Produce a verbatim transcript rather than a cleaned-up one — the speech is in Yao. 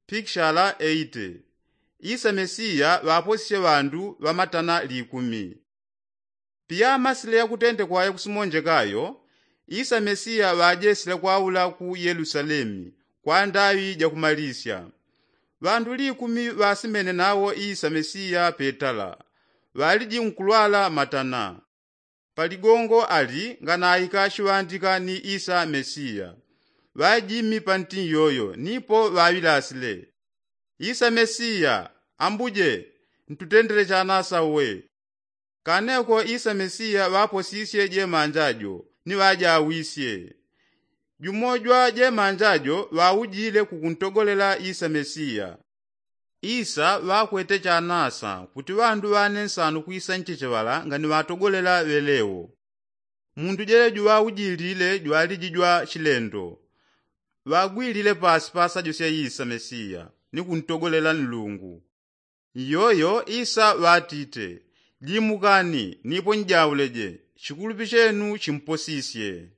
Pikishala eite. Isa mesiya ŵaposisye ŵandu ŵa matana likumi. Piyamasile yakutente kwaya kusimonjekayo, isa mesiya ŵajesile kwaula ku yelusalemi kwa ndaŵi jakumalisya. Ŵandu likumi ŵasimene nawo isa mesiya petala, ŵaliji nkulwala matana. Paligongo ali nganaika shiŵandika ni isa mesiya. Ŵajimi panti nyoyo nipo ŵaŵilasile, isa mesiya, ambuje, ntutendele chanasa uwe. Kaneko isa mesiya ŵaposisye jemanja jo ni ŵajawisye. Jumo jwa jemanja jo ŵaujile kukuntogolela isa mesiya. Isa ŵakwete chanasa kuti ŵandu ŵane nsanu kwisa nchecheŵala ngani ŵatogolela ŵelewo. Mundu jeleju ŵaujilile jwaliji jwa chilendo. Ŵagwilile pasi pasajo sya isa mesiya ni kuntogolela nlungu. Iyoyo isa ŵatite, jimukani nipo njauleje, chikulupi chenu chimposisye.